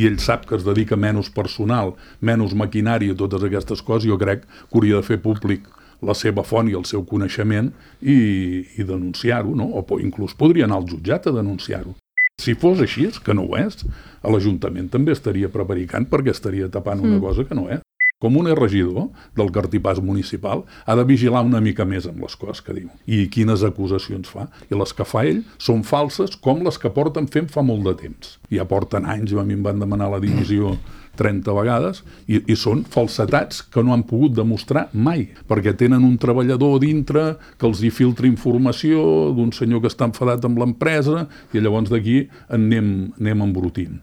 i ell sap que es dedica menys personal, menys maquinària, totes aquestes coses, jo crec que hauria de fer públic la seva font i el seu coneixement i denunciar-ho, no? O inclús podria anar al jutjat a denunciar-ho. Si fos així, que no ho és, l'Ajuntament també estaria prevaricant perquè estaria tapant una cosa que no és. Com un regidor del cartipàs municipal ha de vigilar una mica més amb les coses que diu i quines acusacions fa. I les que fa ell són falses com les que porten fent fa molt de temps. Ja porten anys, a mi em van demanar la dimissió 30 vegades i són falsetats que no han pogut demostrar mai, perquè tenen un treballador dintre que els hi filtra informació d'un senyor que està enfadat amb l'empresa i llavors d'aquí en anem embrutint.